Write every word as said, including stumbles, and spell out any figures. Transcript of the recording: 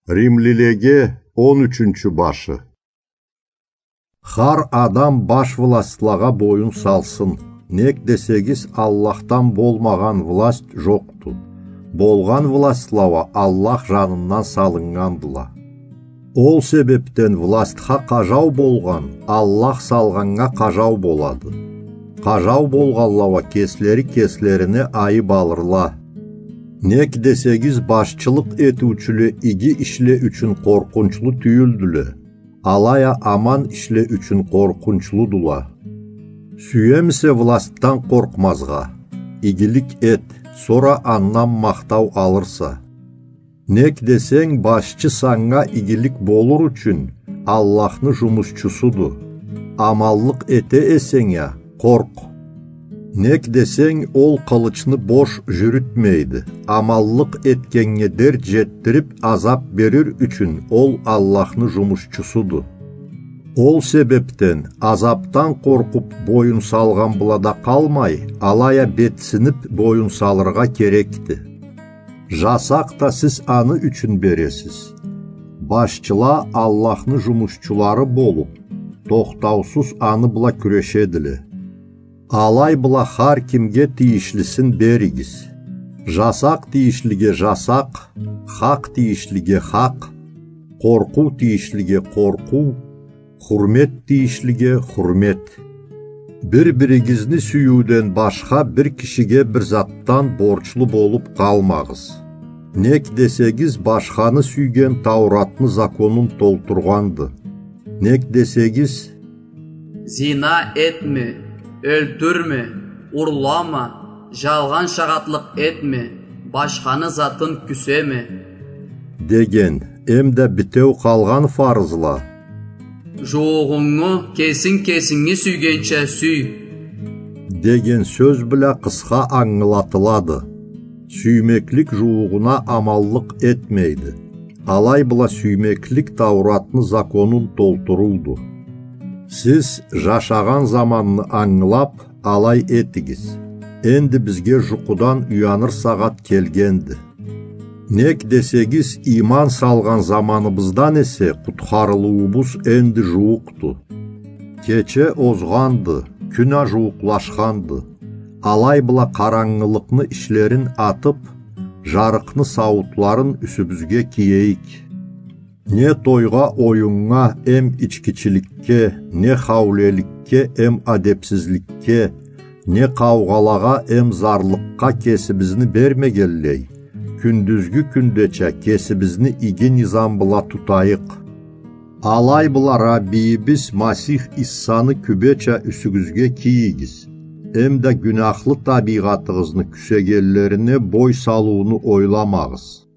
Римлилеге он ючюнчю башы. Хар адам баш властьлагъа боюн салсын. Нек десегиз, Аллахдан болмагъан власть жокъду. Болгъан властьла уа Аллах жанындан салыннгандыла. Ол себепден властьха къажау болгъан Аллах салгъаннга къажау болады. Къажау болгъанла уа кеслери кеслерине айып алырла. Нек десегиз, башчылыкъ этиучюле иги ишле ючюн къоркъунчлу тюйюлдюле, алай а аман ишле ючюн къоркъунчлудула. Сюемисе властьдан къоркъмазгъа? Игилик эт, сора андан махтау алырса. Нек десенг, башчы санга игилик болур ючюн Аллахны жумушчусуду. Аманлыкъ эте эсенг а, къоркъ. Нек десенг, ол къылычны бош жюрютмейди. Аманлыкъ этгеннге дерт жетдирип, азап берир ючюн ол Аллахны жумушчусуду. Ол себепден азапдан къоркъуп боюн салгъан бла да къалмай, алай а бетсинип боюн салыргъа керекди. Жасакъ да сиз аны ючюн бересиз. Башчыла Аллахны жумушчулары болуп, тохтаусуз аны бла кюрешедиле. Алай бла хар кимге тийишлисин беригиз. Жасакъ тийишлиге жасакъ, хакъ тийишлиге хакъ, къоркъуу тийишлиге къоркъуу, хурмет тийишлиге хурмет. Бир-биригизни сюйюуден башха бир кишиге бир затдан борчлу болуп къалмагъыз. Нек десегиз, башханы сюйген Тауратны законун толтургъанды. Нек десегиз, зина этме, ёлтюрме, урлама, жалгъан шагъатлыкъ этме, башханы затын кюсеме деген, эмда битеу къалгъан фарызла. Жууугъунгу кесинг кесинги сюйгенча сюй деген сёз бла къысха ангылатылады. Сюймеклик жууугъуна аманлыкъ этмейди. Алай бла сюймеклик Тауратны законун толтурууду. Сиз жашагъан заманны ангылап, алай этигиз. Энди бизге жукъудан уяныр сагъат келгенди. Нек десегиз, иман салгъан заманыбыздан эсе къутхарылыуубуз энди жууукъду. Кече озгъанды, кюн а жууукълашханды. Алай бла къарангылыкъны ишлерин атып, жарыкъны сауутларын юсюбюзге киейик. Не тойгъа, оюннга, эм ичкичиликге, не хаулеликге, эм адепсизликге, не къаугъалагъа, эм зарлыкъгъа кесибизни бермегенлей, кюндюзгю кюндеча кесибизни иги низам бла тутайыкъ. Алай бла Раббийибиз Масих Иссаны кюбеча юсюгюзге кийигиз, эмда гюняхлы табийгъатыгъызны кюсегенлерине бой салыуну ойламагъыз.